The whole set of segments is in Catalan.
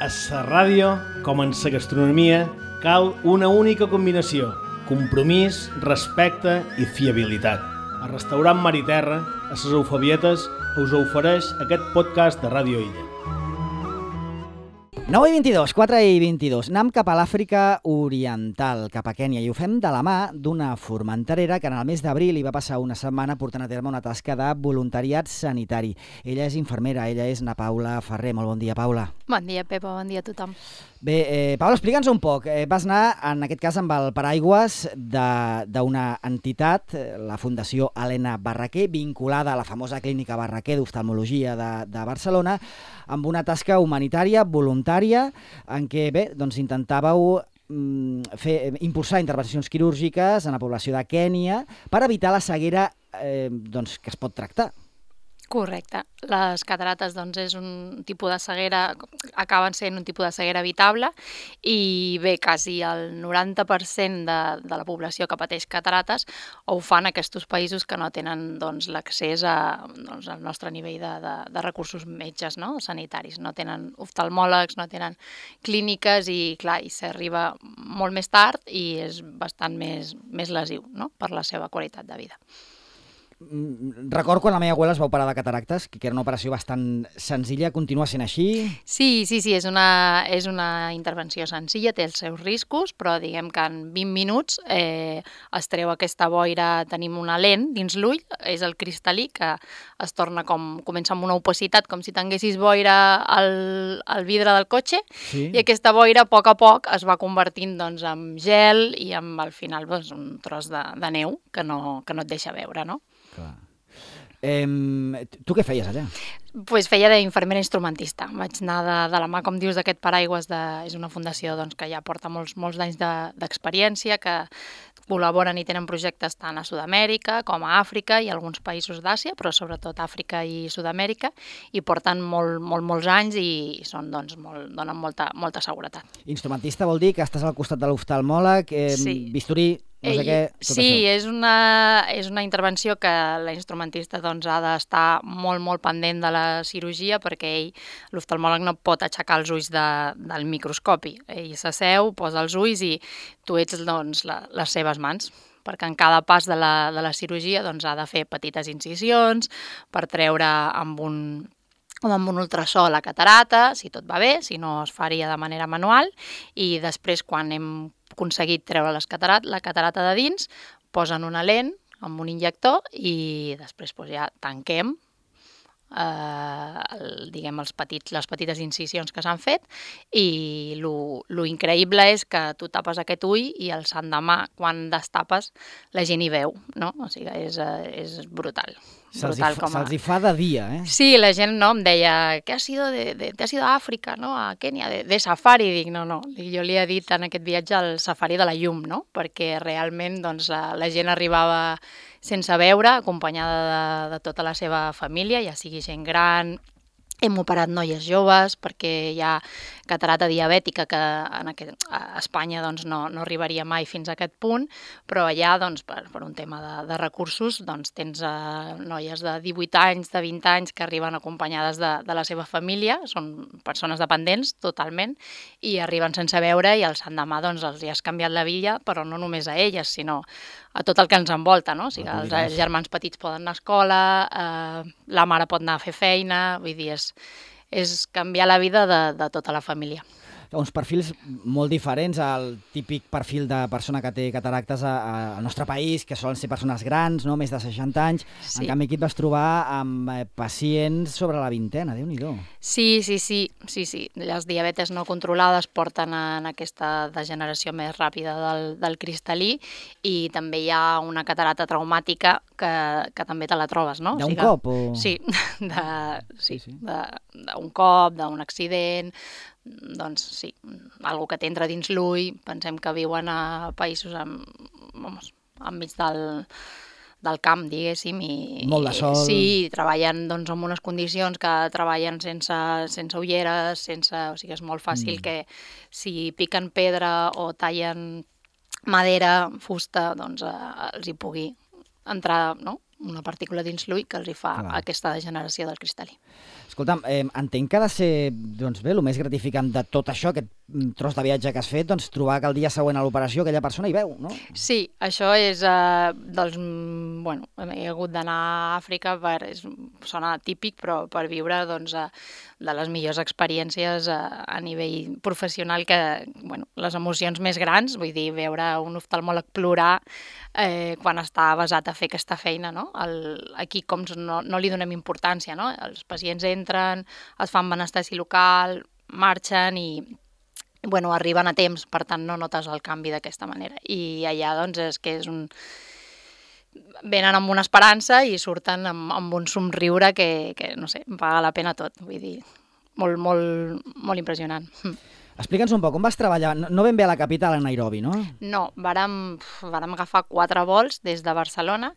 A la ràdio, com en la gastronomia, cal una única combinació: compromís, respecte i fiabilitat. El restaurant Mar i Terra, a les Eufebietes, us ofereix aquest podcast de Ràdio Illa. 9:22, 4:22. Anem cap a l'Àfrica Oriental, cap a Kènia, i ho fem de la mà d'una formenterera que en el mes d'abril hi va passar una setmana portant a terme una tasca de voluntariat sanitari. Ella és infermera, ella és na Paula Ferrer. Molt bon dia, Paula. Bon dia, Pepa, bon dia a tothom. Bé, Paula, explica'ns un poc. Vas anar, en aquest cas, amb el paraigües d'una entitat, la Fundació Helena Barraquer, vinculada a la famosa clínica Barraquer d'oftalmologia de Barcelona, amb una tasca humanitària, voluntària, en què, bé, doncs intentàveu impulsar intervencions quirúrgiques en la població de Kènia per evitar la ceguera doncs, que es pot tractar. Correcte. Les catarates doncs, és un tipus de ceguera, acaben sent un tipus de ceguera evitable i bé, quasi el 90% de la població que pateix catarates ho fan aquests països que no tenen doncs, l'accés al nostre nivell de recursos metges, no? Sanitaris. No tenen oftalmòlegs, no tenen clíniques i clar, i s'arriba molt més tard i és bastant més lesiu, no? Per la seva qualitat de vida. Recordo quan la meva abuela es va operar de cataractes, que era una operació bastant senzilla. Continua sent així? Sí, és una intervenció senzilla, té els seus riscos, però diguem que en 20 minuts es treu aquesta boira, tenim una lent dins l'ull, és el cristal·lí, que es torna comença amb una opacitat, com si tinguessis boira al vidre del cotxe, sí. I aquesta boira a poc es va convertint doncs, en gel i al final doncs, un tros de neu que no et deixa veure, no? Clar. Tu què feies allà? Pues feia d'infermera instrumentista. Vaig anar de la mà, com dius, d'aquest paraigües. És una fundació doncs, que ja porta molts d'anys d'experiència, que col·laboren i tenen projectes tant a Sud-amèrica com a Àfrica i alguns països d'Àsia, però sobretot Àfrica i Sud-amèrica, i porten molts anys i donen molta seguretat. Instrumentista vol dir que estàs al costat de l'oftalmòleg, bisturí... No sé què, sí, és una intervenció que la instrumentista doncs, ha d'estar molt pendent de la cirurgia perquè l'oftalmòleg no pot aixecar els ulls del microscopi. Ell s'asseu, posa els ulls i tu ets doncs, les seves mans, perquè en cada pas de la cirurgia doncs, ha de fer petites incisions per treure amb un ultrasò la catarata, si tot va bé, si no es faria de manera manual, i després quan hem aconseguit treure la catarata de dins, posen una lent amb un injector i després ja tanquem les petites incisions que s'han fet i lo increïble és que tu tapes aquest ull i el l'endemà, quan destapes, la gent hi veu, no? O sigui, és brutal. Se'ls hi fa de dia, eh? Sí, la gent em deia, ¿te has ido a Àfrica, no? A Kènia, de safari? Dic, no. Jo li he dit en aquest viatge el safari de la llum, no? Perquè realment doncs, la gent arribava sense veure, acompanyada de tota la seva família, ja sigui gent gran. Hem operat noies joves perquè hi ha catarata diabètica que a Espanya doncs, no arribaria mai fins a aquest punt, però allà doncs, per un tema de recursos doncs, tens noies de 18 anys, de 20 anys que arriben acompanyades de la seva família, són persones dependents totalment, i arriben sense veure i el l'endemà doncs, els hi has canviat la vida, però no només a elles, sinó a tot el que ens envolta, no? O sigui, els germans petits poden anar a escola, la mare pot anar a fer feina, vull dir, és canviar la vida de tota la família. Uns perfils molt diferents al típic perfil de persona que té cataractes al nostre país, que solen ser persones grans, no? Més de 60 anys. Sí. En canvi, aquí et vas trobar amb pacients sobre la vintena, Déu-n'hi-do. Sí. Les diabetes no controlades porten en aquesta degeneració més ràpida del cristal·lí i també hi ha una catarata traumàtica que també te la trobes, no? D'un cop? O... Sí, d'un cop, d'un accident. Doncs sí, algú que t'entra dins l'ull, pensem que viuen a països enmig del camp, diguéssim. Molt de sol. Sí, treballen doncs, en unes condicions que treballen sense ulleres, o sigui, és molt fàcil que si piquen pedra o tallen madera, fusta, doncs els hi pugui entrar, no?, una partícula dins l'ull que els hi fa aquesta degeneració del cristal·lí. Escolta'm, entenc que ha de ser, doncs bé, el més gratificant de tot això, aquest tros de viatge que has fet, doncs trobar que el dia següent a l'operació aquella persona hi veu, no? Sí, això és, bueno, he hagut d'anar a Àfrica, sona típic, però per viure, doncs, de les millors experiències a nivell professional, que, bueno, les emocions més grans, vull dir, veure un oftalmòleg plorar quan està basat a fer aquesta feina, no? Aquí com no li donem importància, no? Els pacients entren, es fan anestèsia local, marxen i bueno, arriben a temps, per tant no notes el canvi d'aquesta manera. I allà doncs és que venen amb una esperança i surten amb un somriure que no sé, paga la pena tot, vull dir, molt, molt, molt impressionant. Explica'ns un poc, on vas treballar? No ben bé a la capital, a Nairobi, no? No, vàrem agafar 4 vols des de Barcelona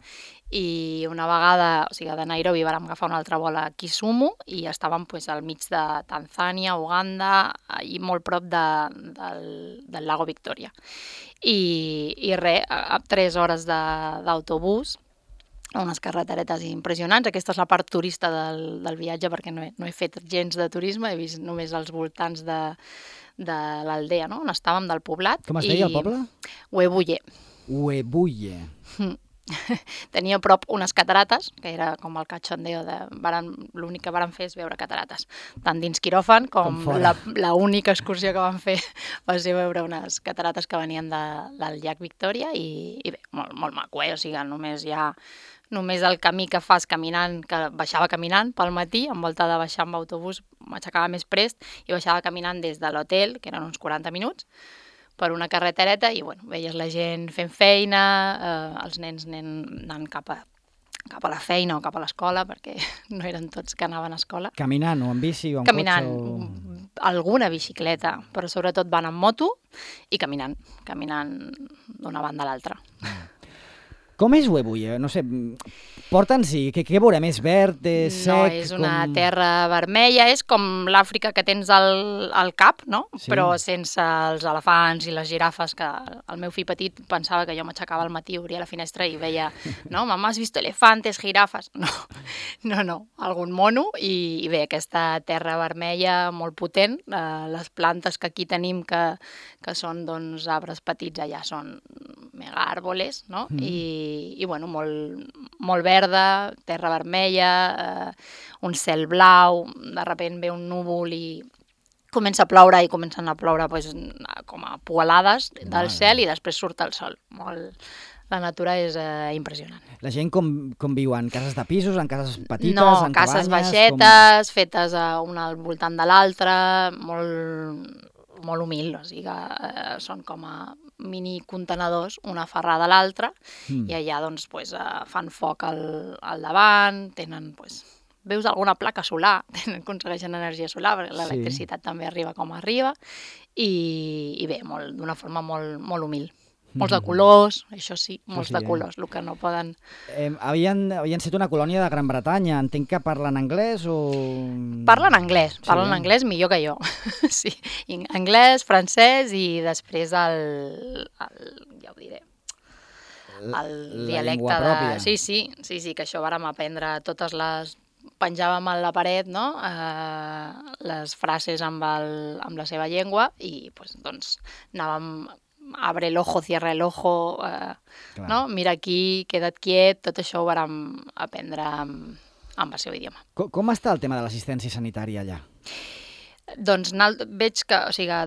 i una vegada, o sigui, de Nairobi vàrem agafar un altre vol a Kisumu i estàvem al mig de Tanzània, Uganda i molt prop del lago Victòria. I res, a 3 hores d'autobús, unes carreteretes impressionants. Aquesta és la part turista del viatge perquè no he fet gens de turisme, he vist només els voltants de l'aldea, no? On estàvem, del poblat. Com es deia el poble? Webuye. Webuye. Tenia a prop unes catarates, que era com el cachondeo l'únic que vàrem fer és veure catarates, tant dins quiròfan com l'única excursió que vam fer va ser veure unes catarates que venien del llac Victòria i bé, molt, molt maco, o sigui, només el camí que fas caminant, que baixava caminant pel matí, en volta de baixar amb autobús, m'aixecava més prest i baixava caminant des de l'hotel, que eren uns 40 minuts, per una carretereta i bueno, veies la gent fent feina, els nens anant cap a la feina o cap a l'escola, perquè no eren tots que anaven a escola. Caminant o en bici o en cotxe? Alguna bicicleta, però sobretot van en moto i caminant d'una banda a l'altra. Com és Webuye? No sé, porta'ns-hi, què veurem? És verd, és sec? No, és una terra vermella, és com l'Àfrica que tens al cap, no? Sí. Però sense els elefants i les girafes, que el meu fill petit pensava que jo m'aixecava al matí, obria la finestra i veia, no, mamà, has vist elefantes, girafes? No, algun mono, i bé, aquesta terra vermella molt potent, les plantes que aquí tenim que són doncs arbres petits, allà són mega árboles, no? I bueno, molt verda, terra vermella, un cel blau, de sobte ve un núvol i comença a ploure i comencen a ploure com a poalades del cel i després surt el sol. La natura és impressionant. La gent com viu? En cases de pisos, en cases petites, en cabanyes? No, cases baixetes, fetes una al voltant de l'altra, molt humil, o sigui, són com a mini contenedors, una aferrada a l'altra, i allà doncs, fan foc al davant, tenen, veus alguna placa solar, aconsegueixen energia solar, perquè l'electricitat també arriba com arriba, i bé, d'una forma molt humil. Molts de colors, això sí, molts de colors, el que no poden... Havien estat una colònia de Gran Bretanya, entenc que parlen anglès o... Parlen anglès millor que jo, sí, anglès, francès i després ja ho diré, el dialecte de... Sí, que això vàrem aprendre totes les... Penjàvem a la paret, no?, les frases amb la seva llengua i doncs anàvem... Abre el ojo, cierra el ojo, no? Mira aquí, queda't quiet, tot això ho vàrem aprendre amb el seu idioma. Com està el tema de l'assistència sanitària allà? Doncs veig que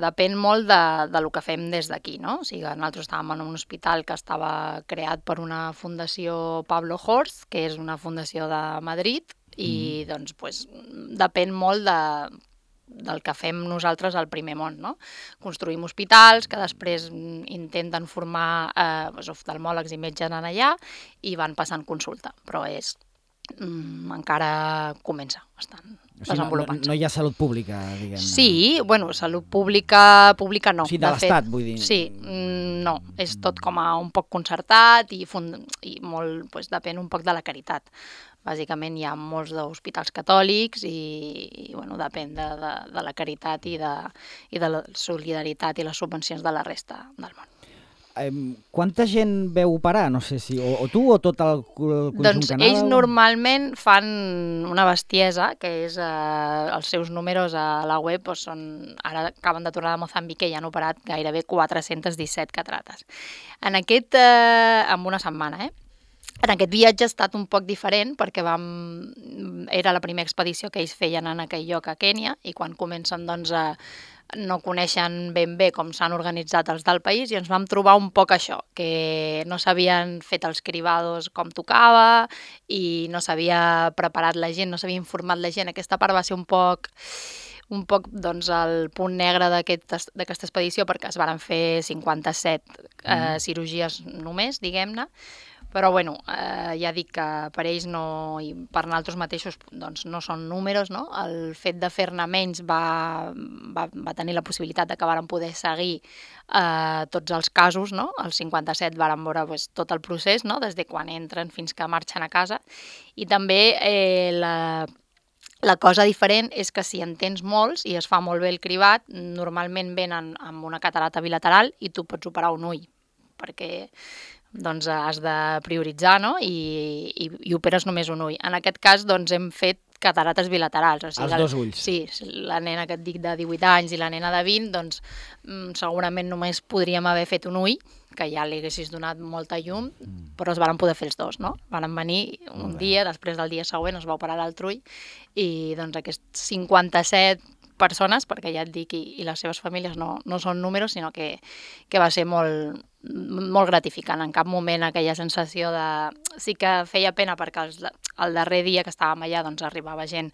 depèn molt del que fem des d'aquí, no? O sigui, nosaltres estàvem en un hospital que estava creat per una fundació Pablo Horst, que és una fundació de Madrid, i doncs depèn molt del que fem nosaltres al primer món, no? Construïm hospitals que després intenten formar oftalmòlegs i metges en allà i van passant consulta, però encara comença, estan desenvolupant-se. No hi ha salut pública, diguem-ne. Sí, salut pública no. O sigui, de l'Estat, vull dir. Sí, no, és tot com a un poc concertat i molt, depèn un poc de la caritat. Bàsicament hi ha molts d'hospitals catòlics i depèn de la caritat i de la solidaritat i les subvencions de la resta del món. Quanta gent veu operar? No sé si... O tu o tot el conjunt Doncs canal? ells normalment fan una bestiesa, que és els seus números a la web, doncs ara acaben de tornar de Mozambic i ja han operat gairebé 417 catarates. En una setmana, En aquest viatge ha estat un poc diferent perquè era la primera expedició que ells feien en aquell lloc a Kènia i quan comencen no coneixen ben bé com s'han organitzat els del país i ens vam trobar un poc això, que no s'havien fet els cribados com tocava i no s'havia preparat la gent, no s'havia informat la gent. Aquesta part va ser un poc el punt negre d'aquesta expedició perquè es varen fer 57 cirurgies només, diguem-ne, però bueno, ja dic que per ells i per nosaltres mateixos no són números, no? El fet de fer-ne menys va tenir la possibilitat que varen poder seguir tots els casos, no? Els 57 varen veure tot el procés, no? Des de quan entren fins que marxen a casa, i també la cosa diferent és que si en tens molts i es fa molt bé el cribat, normalment venen amb una catarata bilateral i tu pots operar un ull, perquè has de prioritzar, no? I operes només un ull. En aquest cas hem fet catarates bilaterals. Els dos ulls. Sí, la nena que et dic de 18 anys i la nena de 20, segurament només podríem haver fet un ull, que ja li haguessis donat molta llum, però es varen poder fer els dos, no? Varen venir un dia, després del dia següent es va operar l'altre ull, i aquests 57 persones, perquè ja et dic, i les seves famílies no són números, sinó que va ser molt gratificant. En cap moment aquella sensació de... Sí que feia pena perquè el darrer dia que estàvem allà arribava gent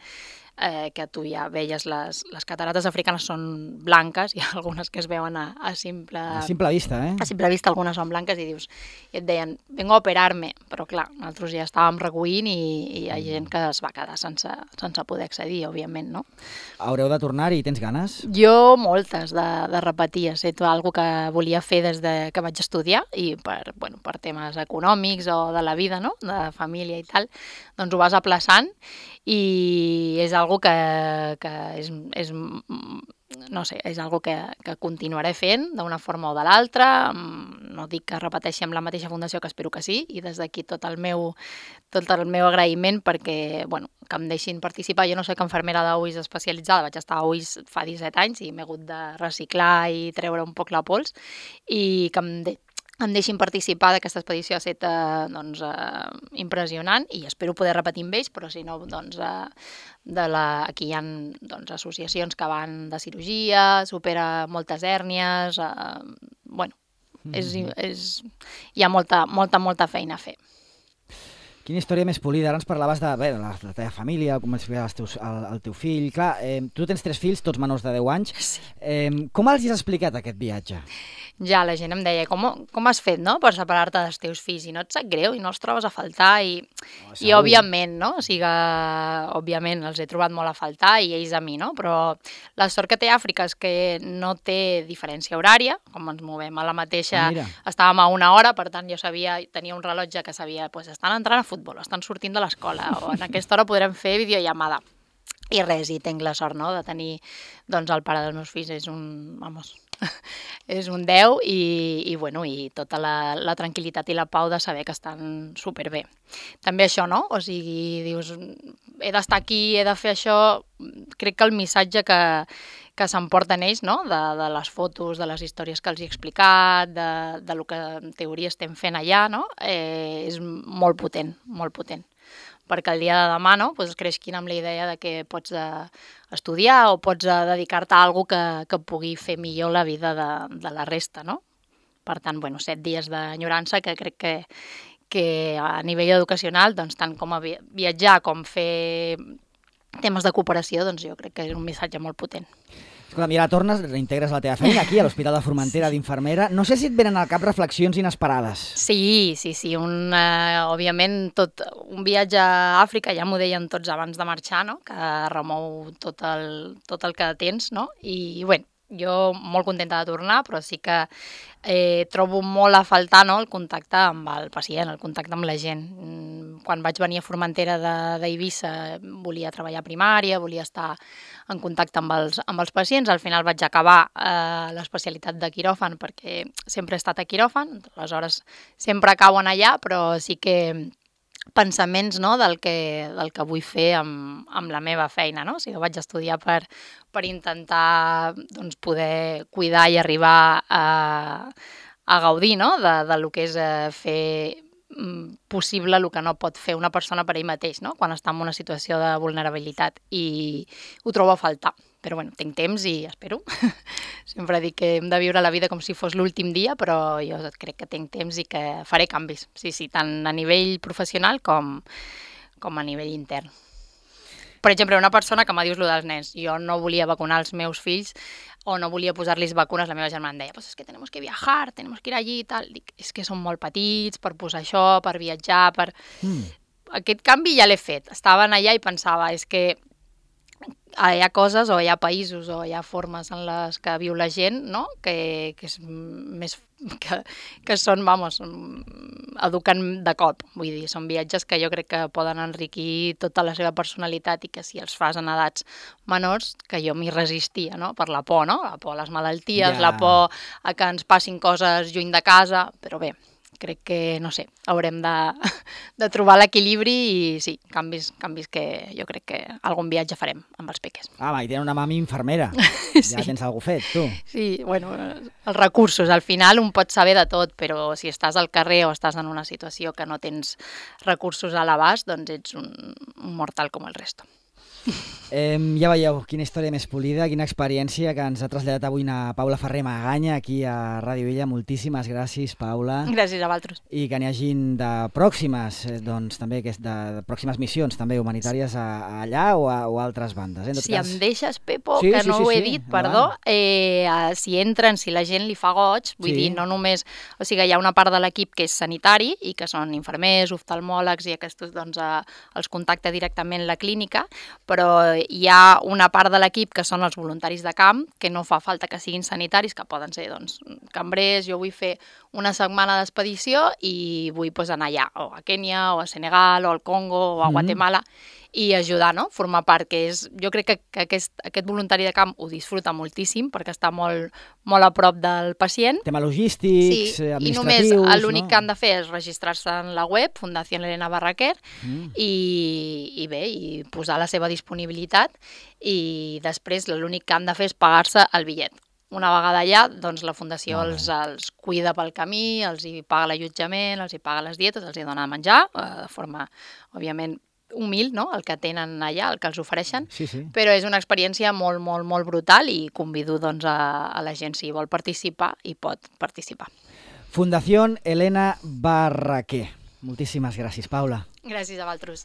que tu ja veies les catarates africanes són blanques, hi ha algunes que es veuen a simple... A simple vista, A simple vista algunes són blanques i et deien, vengo a operar-me, però clar, nosaltres ja estàvem recollint i hi ha gent que es va quedar sense poder accedir, òbviament, no? Haureu de tornar-hi, tens ganes? Jo moltes de repetir, ha estat una que volia fer des que vaig estudiar i per temes econòmics o de la vida, no? De família i tal, doncs ho vas aplaçant i és algo que és no sé, és algo que continuaré fent d'una forma o de l'altra. No dic que repeteixi amb la mateixa fundació, que espero que sí, i des d'aquí tot el meu agraïment perquè, que em deixin participar. Jo no soc infermera d'ulls especialitzada, vaig estar a ulls fa 17 anys i m'he hagut de reciclar i treure un poc la pols, i que em deixin participar d'aquesta expedició ha estat impressionant i espero poder repetir amb ells, però si no, aquí hi ha associacions que van de cirurgia, supera moltes hèrnies, hi ha molta feina a fer. Quina història més polida. Ara ens parlaves de la teva família, com explicaves el teu fill. Clar, tu tens 3 fills, tots menors de 10 anys. Sí. Com els has explicat aquest viatge? Ja, la gent em deia, com has fet, no?, per separar-te dels teus fills, i no et sap greu, i no els trobes a faltar, i òbviament, no?, o sigui, òbviament els he trobat molt a faltar, i ells a mi, no?, però la sort que té Àfrica és que no té diferència horària, com ens movem a la mateixa, estàvem a 1 hora, per tant jo tenia un rellotge que sabia, estan entrant a futbol, estan sortint de l'escola, o en aquesta hora podrem fer videollamada. I res, i tinc la sort, no?, de tenir, el pare dels meus fills és un 10 i tota la tranquil·litat i la pau de saber que estan superbé. També això, no? O sigui, dius, he d'estar aquí, he de fer això. Crec que el missatge que s'emporten ells, no?, de les fotos, de les històries que els he explicat, de lo que en teoria estem fent allà, no?, és molt potent, perquè el dia de demà, no?, creixin amb la idea de que pots estudiar o pots dedicar-te a alguna que pugui fer millor la vida de la resta, no? Per tant, 7 dies d'enyorança que crec que a nivell educacional, tant com a viatjar com fer temes de cooperació, jo crec que és un missatge molt potent. Escolta, mira, tornes, reintegres la teva feina aquí a l'Hospital de Formentera d'infermera. No sé si et venen al cap reflexions inesperades. Sí. Òbviament, tot un viatge a Àfrica, ja m'ho deien tots abans de marxar, no?, que remou tot el que tens, no? I, jo molt contenta de tornar, però sí que trobo molt a faltar, no?, el contacte amb el pacient, el contacte amb la gent. quan vaig venir a Formentera d'Eivissa volia treballar a primària, volia estar en contacte amb els pacients. Al final vaig acabar l'especialitat de quiròfan perquè sempre he estat a quiròfan, aleshores sempre cauen allà, però sí que pensaments, no, del que vull fer amb la meva feina, no? O sigui, vaig estudiar per intentar doncs, poder cuidar i arribar a gaudir, no, de lo que és fer possible el que no pot fer una persona per ell mateix, no? Quan està en una situació de vulnerabilitat, i ho trobo a faltar. Però bueno, tinc temps i espero. Sempre dic que hem de viure la vida com si fos l'últim dia, però jo crec que tinc temps i que faré canvis. Sí, tant a nivell professional com a nivell intern. Per exemple, una persona que m'ha dit lo dels nens. Jo no volia vacunar els meus fills o no volia posar-los vacunes. La meva germana em deia, pues es que tenemos que viajar, tenemos que ir allí i tal. Dic, és que són molt petits per posar això, per viatjar, per... Aquest canvi ja l'he fet. Estaven allà i pensava, és que hi ha coses o hi ha països o hi ha formes en les que viu la gent, no? que és més que són, educant de cop. Vull dir, són viatges que jo crec que poden enriquir tota la seva personalitat i que si els fas en edats menors, que jo m'hi resistia, no? Per la por, no? La por a les malalties, la por a que ens passin coses lluny de casa, però bé, crec que, no sé, haurem de trobar l'equilibri i sí, canvis que jo crec que algun viatge farem amb els peques. I tenen una mami infermera. Sí. Ja tens alguna cosa fet, tu. Sí, bueno, els recursos. Al final un pot saber de tot, però si estàs al carrer o estàs en una situació que no tens recursos a l'abast, doncs ets un mortal com el resto. Ja veieu, quina història més polida, quina experiència que ens ha traslladat avui na Paula Ferrer Maganya aquí a Ràdio Vella. Moltíssimes gràcies, Paula. Gràcies a vosaltres. I que n'hi hagin de pròximes, doncs també de pròximes missions també humanitàries allà o a altres bandes. Si em deixes, Pepo, que no ho he dit, perdó, si entren, si la gent li fa goig, vull dir, no només... O sigui, hi ha una part de l'equip que és sanitari i que són infermers, oftalmòlegs i aquests doncs els contacta directament la clínica, però hi ha una part de l'equip que són els voluntaris de camp, que no fa falta que siguin sanitaris, que poden ser doncs, cambrers. Jo vull fer una setmana d'expedició i vull anar allà, o a Kènia, o a Senegal, o al Congo, o a Guatemala, i ajudar, no? Formar part, que és... Jo crec que aquest voluntari de camp ho disfruta moltíssim, perquè està molt a prop del pacient. Tema logístics, administratius... I només l'únic que han de fer és registrar-se en la web, Fundació Elena Barraquer, i bé, i posar la seva disponibilitat, i després l'únic que han de fer és pagar-se el bitllet. Una vegada allà, doncs la Fundació els cuida pel camí, els hi paga l'allotjament, els hi paga les dietes, els hi dona de menjar, de forma, òbviament, humil, no? El que tenen allà, el que els ofereixen, però és una experiència molt, molt, molt brutal i convido doncs, a la gent, si vol participar, i pot participar. Fundació Elena Barraquer. Moltíssimes gràcies, Paula. Gràcies a vosaltres.